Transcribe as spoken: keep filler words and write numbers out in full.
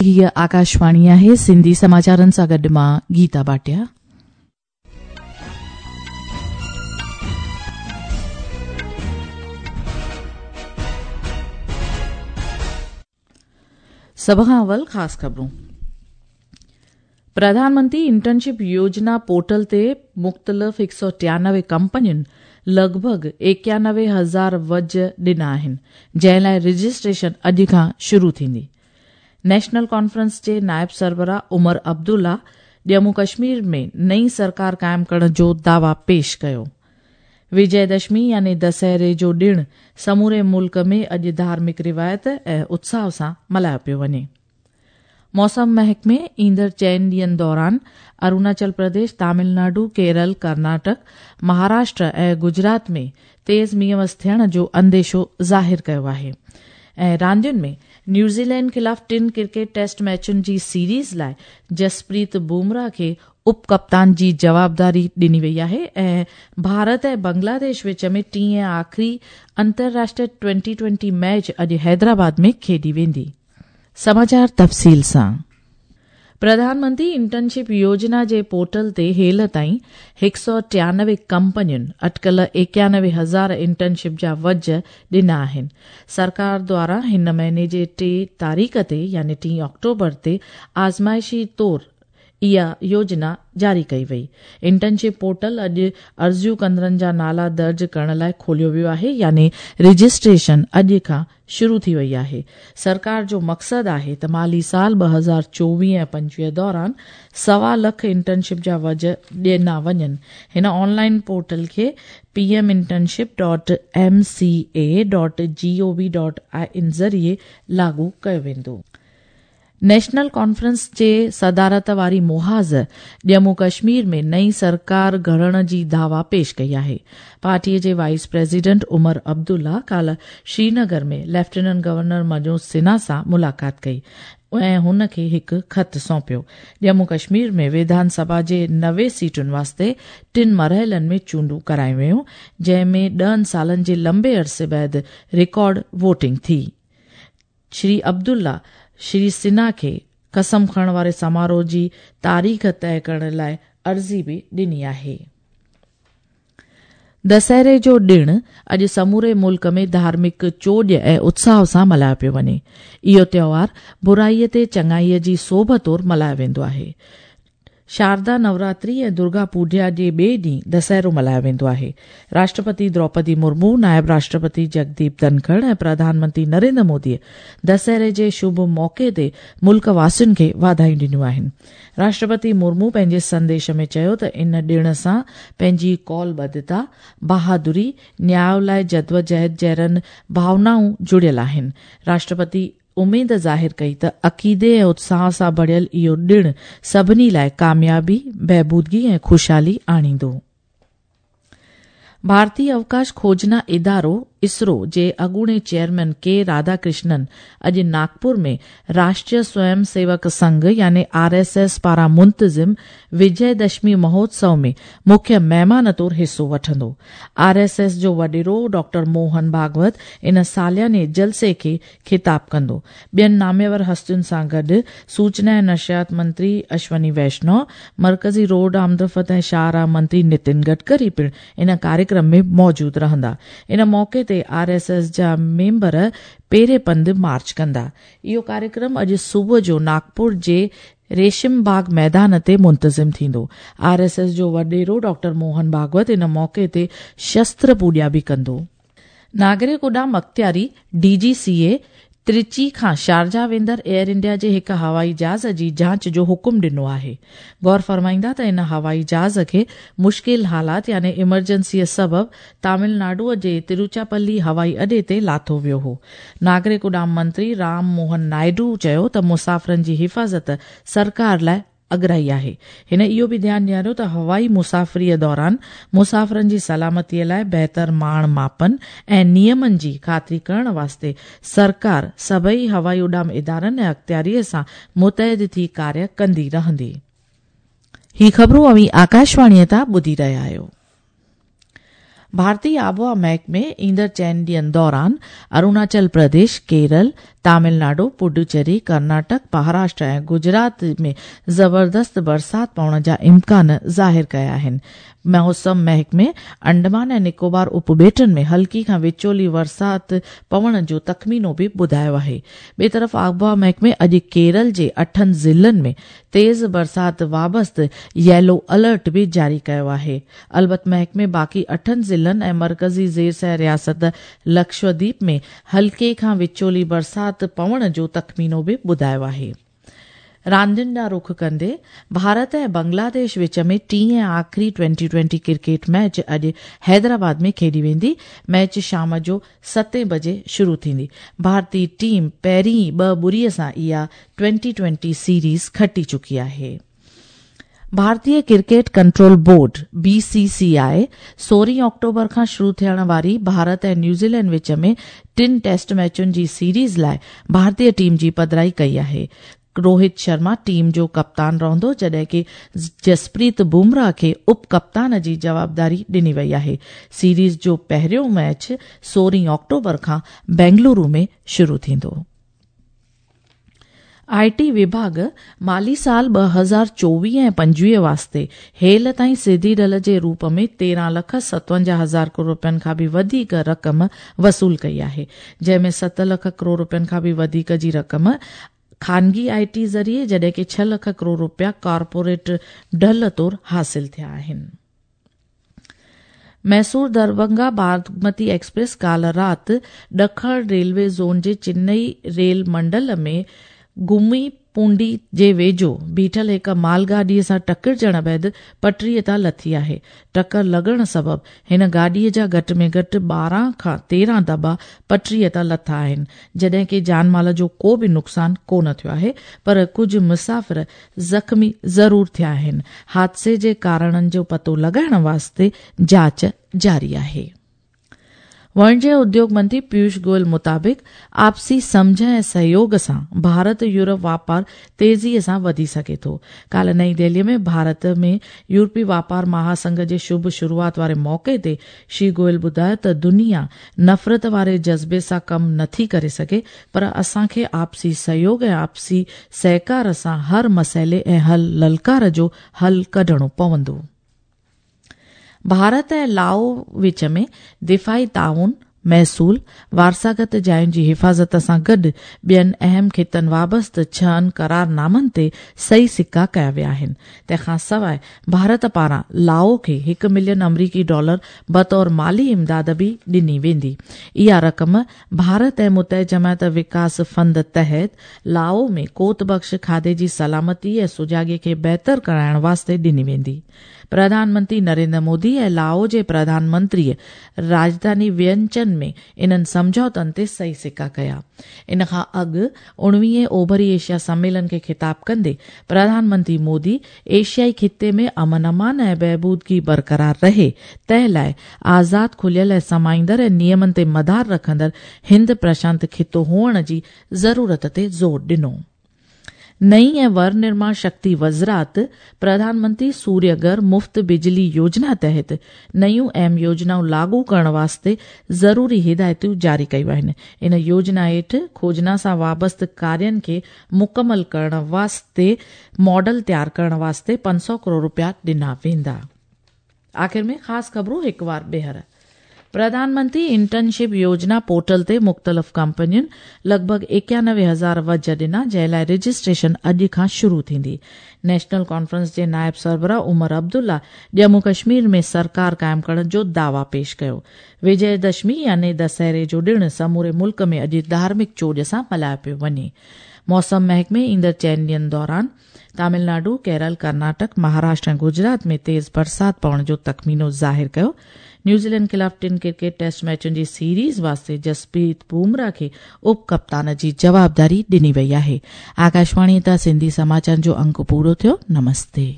हीअ आकाशवाणी आहे। सिंधी समाचारनि सां गॾु मां गीता भाटिया। सभ खां अवल ख़ासि ख़बरूं। प्रधानमंत्री इंटर्नशिप योजना पोर्टल ते मुख़्तलिफ़ हिकु सौ टियानवे कंपनियुनि लॻभॻि एकानवे हज़ार वज ॾिना आहिनि, जंहिं लाइ रजिस्ट्रेशन अॼु खां शुरू थींदी। नेशनल कॉन्फ्रेंस जे नायब सरबराह उमर अब्दुल्ला जम्मू कश्मीर में नई सरकार क़ाइम करण जो दावा पेश कयो। विजयदशमी यानी दशहरे जो ॾिण समूरे मुल्क में अॼु धार्मिक रिवायत ऐं उत्साह सां मल्हायो पियो वञे। मौसम महकमे ईंदड़ चइनि ॾींहंनि दौरान अरुणाचल प्रदेश, तमिलनाडु, केरल, कर्नाटक, महाराष्ट्र ऐं गुजरात में तेज़ मींहं वस थियण जो अंदेशो ज़ाहिर कयो आहे। ऐं रांदियुनि में न्यूज़ीलैंड ख़िलाफ़ टिनि क्रिकेट टेस्ट मैचुनि जी सीरीज़ लाइ जसप्रीत बुमराह खे उप कप्तान जी जवाबदारी ॾिनी वई आहे। ऐं भारत ऐं बांग्लादेश विच में टीं ऐं आख़िरी अंतर्राष्ट्रीय ट्वेंटी ट्वेंटी मैच अॼु हैदराबाद में खेॾी वेंदी। समाचार तफ़सील सां। प्रधानमंत्री इंटर्नशिप योजना जे पोर्टल ते हेल ताईं हिकु सौ टियानवे कंपनियुनि अटकल एकानवे हज़ार इंटर्नशिप जा वज ॾिना आहिनि। सरकार द्वारा हिन महीने जे टे तारीख़ ते यानी टीं अक्टूबर ते आज़माइशी तौर इहा योजना जारी कई वई। इंटर्नशिप पोर्टल अॼु अर्ज़ियूं कंदड़नि जा नाला दर्ज करण लाइ खोलियो वियो आहे, यानी रजिस्ट्रेशन अॼु खां शुरू थी वई आहे। सरकार जो मक़सदु आहे त माली साल ॿ हज़ार चोवीह ऐं पंजवीह दौरान सवा लख इंटर्नशिप जा वज ॾिना वञनि। हिन ऑनलाइन पोर्टल खे P M internship dot M C A dot G O V dot I N ज़रिए लागू कयो वेंदो। नेशनल कॉन्फ्रेंस जे सदारत वारी मुहाज़ जम्मू कश्मीर में नई सरकार घड़ण जी दावा पेश कई आहे। पार्टीअ जे वाइस प्रेसिडेंट उमर अब्दुल्ला काल्ह श्रीनगर में लेफ्टिनेंट गवर्नर मनोज सिन्हा सां मुलाक़ात कई ऐं हुन खे हिकु ख़त सौंपियो। जम्मू कश्मीर में विधानसभा जे नवे सीटुनि वास्ते टिनि मरहलनि में चूंडूं करायूं वियूं, जंहिं में ॾहनि सालनि जे लंबे अरसे बाद रिकॉर्ड वोटिंग थी। श्री अब्दुल्ला श्री सिन्हा खे कसम खणण वारे समारोह जी तारीख़ तय करण लाइ अर्ज़ी बि ॾिनी आहे। दशहरे जो ॾिण अॼु समूरे मुल्क में धार्मिक चोॼ ऐं उत्साह सां मल्हायो पियो वञे। इहो त्योहार बुराईअ ते चङाईअ जी सोभ तौर मल्हायो वेंदो आहे। शारदा नवरात्रि ऐं दुर्गा पूजा जे ॿिए ॾींहुं दशहरो मल्हायो वेंदो आहे। राष्ट्रपति द्रौपदी मुर्मू, नायब राष्ट्रपति जगदीप धनखड़ ऐं प्रधानमंत्री नरेंद्र मोदीअ दशहरे जे शुभ मौक़े ते मुल्क वासियुनि खे वाधायूं ॾिनियूं आहिनि। राष्ट्रपति मुर्मू पंहिंजे संदेश में चयो त इन ॾिण सां पंहिंजी कौलबद्धता, बहादुरी, न्याय लाइ जदोजहद जहिड़नि भावनाऊं जुड़ियल आहिनि। राष्ट्रपति उमेद ज़ाहिर कई त अक़ीदे ऐं उत्साह सां भरियल इहो ॾिण सभिनी लाइ कामयाबी, बहबूदगी ऐं ख़ुशहाली आणींदो। भारतीय अवकाश खोजना इदारो इसरो जे अॻूणे चेयरमैन के राधाकृष्णन अॼु नागपुर में राष्ट्रीय स्वयं सेवक संघ यानी आर एस एस पारां मुंतज़िम विजयदशमी महोत्सव में मुख्य महिमान तौर हिसो वठंदो। आर एस एस जो वॾेरो डॉक्टर मोहन भागवत इन सालियाने जलसे खे ख़िताब कंदो। ॿियनि नामेवर हस्तियुनि सां गॾु सूचना ऐं नशियात मंत्री अश्वनी वैष्णव, मर्कज़ी रोड आमदरफ़्त ऐं शाहराह मंत्री नितिन गडकरी पिणु इन कार्यक्रम में मौजूद रहंदा। इन मौक़े ते आर एस एस जा मेंबर पेरे पंध मार्च कंदा। इहो कार्यक्रम अॼु सुबुह जो नागपुर जे रेशम बाग मैदान ते मुंतज़िम थींदो। आर एस एस जो वॾेरो डॉक्टर मोहन भागवत इन मौक़े ते शस्त्र पूॼा बि कंदो। नागरिक उॾाम अख़्तियारी डी जी सी ए त्रिची खां शारजा वेंदड़ एयर इंडिया जे हिकु हवाई जहाज़ जी जांच जो हुकुम ॾिनो आहे। गौर फरमाईंदा त इन हवाई जहाज़ खे मुश्किल हालात यानी इमरजेंसीअ सबबु तमिलनाडुअ जे तिरुचापल्ली हवाई अॾे ते लाथो वियो हो। नागरिक उॾाम मंत्री राम मोहन नायडू चयो त मुसाफ़िरनि जी हिफ़ाज़त सरकार लाइ अगराई आहे। हिन इहो बि ध्यानु ॾियारियो त हवाई मुसाफ़िरीअ दौरान मुसाफ़िरनि जी सलामतीअ लाइ बहितर माण मापन ऐं नियमनि जी ख़ातिरी करण वास्ते सरकार सभई हवाई उॾाम इदारनि ऐं अख़्तियारीअ सां मुतहद थी कार्य कंदी रहंदी। ही ख़बरूं अव्हीं आकाशवाणीअ तां ॿुधी रहिया आहियो। भारतीय आबहावा महकमे ईंदड़ चइनि ॾींहंनि दौरान अरुणाचल प्रदेश, केरल, تامل ناڊو، پڊوچيري، ڪرناٽڪ، مهاراشٽر ۽ گجرات ۾ زبردست برسات پوڻ جا امڪان ظاهر ڪيا آهن. موسم محڪمي انڊمان ۽ نڪوبار اپٻيٽن ۾ هلڪي کان وچولي برسات پوڻ جو تخمينو به ٻڌايو آهي. ٻئي طرف آبهوا محڪمي اڄ ڪيرل جي اٺن ضلعن ۾ تيز برسات وابسته ييلو الرٽ به جاري ڪيو آهي. البت محڪمي باقي اٺن ضلعن ۽ مرڪزي زير سير رياست لڪشديپ ۾ هلڪي کان وچولي برسات پوڻ جو تخمينو به ٻڌايو آهي. راندين ڏانهن رخ ڪندي ڀارت ۽ بنگلاديش وچ ۾ ٽين ۽ آخري ٽوئنٽي ٽوئنٽي ڪرڪيٽ ميچ اڄ حيدرآباد ۾ کيڏي ويندي. ميچ شام جو ستين بجي شروع ٿيندي. ڀارتي ٽيم پهرين ئي ٻه ٻڙي سان اها ٽوئنٽي ٽوئنٽي سيريز کٽي چڪي آهي. ڀارتيه cricket control board B C C I سورهين آڪٽوبر کان شروع ٿيڻ واري ڀارت ۽ نيوزيلينڊ وچ ۾ ٽن ٽيسٽ ميچن جي سيريز لاء ڀارتيه ٽيم جي پڌرائي ڪئي آهي. روهت شرما ٽيم جو ڪپتان رهندو، جڏهن ڪه جسپريت بمراهه کي اپ ڪپتان جي جوابداري ڏني وئي آهي. سيريز جو پهريون ميچ سورهين آڪٽوبر کان بينگلورو ۾ شروع ٿيندو. آئي ٽي وڀاڳ مالي سال ٻه هزار چوويهه ۽ پنجويهه واسطي هيل تائين سڌي ڍل جي روپ ۾ تيرهن لک ستونجاهه هزار ڪروڙ رپين کان به وڌيڪ رقم وصول ڪئي آهي، جنهن ۾ ست لک ڪروڙ رپين کان به وڌيڪ جي رقم خانگي آئي ٽي ذريعي، جڏهن ڪه ڇهه لک ڪروڙ رپيا ڪارپوريٽ ڍل طور حاصل ٿيا آهن. ميسور دربنگا باگمتي ايڪسپريس ڪالهه رات ڏکڻ ريلوي زون جي چنئي ريل منڊل ۾ گمي پونڊي جي ويجهو بيٺل هڪ مال گاڏيء سان ٽڪرجڻ بعد پٽڙيء تان لٿي آهي. ٽڪر لڳڻ سبب هن گاڏيء جا گهٽ ۾ گهٽ ٻارهن کان تيرهن دٻا پٽڙيء تان لٿا آهن، جڏهن ڪه جان مال جو ڪو به نقصان ڪونه ٿيو آهي، پر ڪجهه مسافر زخمي ضرور ٿيا آهن. حادثي جي ڪارڻن جو پتو لڳائڻ واسطي جاچ جاري آهي. واڻجيه اديوگ منتري پيوش گويل مطابق آپسي سمجهه ۽ سهيوگ سان ڀارت يورپ واپار تيزيء سان وڌي سگهي ٿو. ڪالهه نئين دهليء ۾ ڀارت ۾ يورپي واپار مهاسنگهه جي شڀ شروعات واري موقعي تي شري گويل ٻڌايو ته دنيا نفرت واري جذبي سان ڪم نٿي ڪري سگهي، پر اسان کي آپسي سهيوگ ۽ آپسي سهڪار سان هر مسئلي ۽ هر للڪار جو حل ڪڍڻو پوندو. ڀارت ۽ لائو وچ ۾ دفاعي تعاون، محصول، وارثاگت جاين جي حفاظت سان گڏ ٻين اهم خطن وابسته ڇهن قرارنامن تي صحيح سڪا ڪيا ويا آهن. تنهن کان سواء ڀارت پاران لائو کي هڪ ملين آمريڪي ڊالر بطور مالي امداد به ڏني ويندي. اها رقم ڀارت ۽ متحده جماعت وڪاس فند تحت لائو ۾ قوت بخش کاڌي جي سلامتي ۽ سجاڳي کي بهتر ڪرائڻ واسطي ڏني ويندي. پرڌان منتري نريندر مودي ۽ لائو جي پرڌان منتريء راڄڌاني وينچن ۾ انهن سمجهوتن تي صحيح سڪا ڪيا. ان کان اڳ اڻويهين اوڀري ايشيا سميلن کي خطاب ڪندي پرڌان منتري مودي ايشيائي خطي ۾ امن امان ۽ بهبودگي برقرار رهي، تنهن لاء آزاد، کليل ۽ سمائيندڙ ۽ نيمن تي مدار رکندڙ هند پرشانت خطو هئڻ جي ضرورت تي زور ڏنو. نئين ۽ ونرماڻ شڪتي وزارت پرڌان منتري سوريه گهر مفت بجلي يوجنا تحت نيون اهم يوجنائون لاڳو ڪرڻ واسطي ضروري هدايتون جاري ڪيون آهن. ان يوجنا هيٺ کوجنا سان وابسته ڪارين کي مڪمل ڪرڻ واسطي ماڊل تيار ڪرڻ واسطي پنج سؤ ڪروڙ رپيا ڏنا ويندا. آخر ۾ خاص خبرون هڪ وار ٻيهر. پرڌان منتري انٽرنشپ يوجنا پورٽل تي مختلف ڪمپنين لڳ ڀڳ ايڪانوي هزار وجهه ڏنا، جنهن لاء رجسٽريشن اڄ کان شروع ٿيندي. نيشنل ڪانفرنس جي نائب سربراهه عمر عبدالله ڄمون ڪشمير ۾ سرڪار قائم ڪرڻ جو دعويٰ پيش ڪيو. وجي دشمي يعني دسهري جو ڏڻ سموري ملڪ ۾ اڄ ڌارمڪ چوڄ سان ملهايو پيو وڃي. موسم محڪمي ايندڙ چئن ڏينهن دوران تامل ناڊو، ڪيرل، ڪرناٽڪ، مهاراشٽر ۽ گجرات ۾ تيز برسات پوڻ جو تخمينو ظاهر ڪيو. نيوزيلينڊ خلاف ٽن ڪرڪيٽ ٽيسٽ ميچن جي سيريز واسطي جسپريت بمراهه کي اپ ڪپتان جي جوابداري ڏني وئي آهي. آڪاشواڻي تان سنڌي سماچارن جو انڪ پورو ٿيو. نمستي.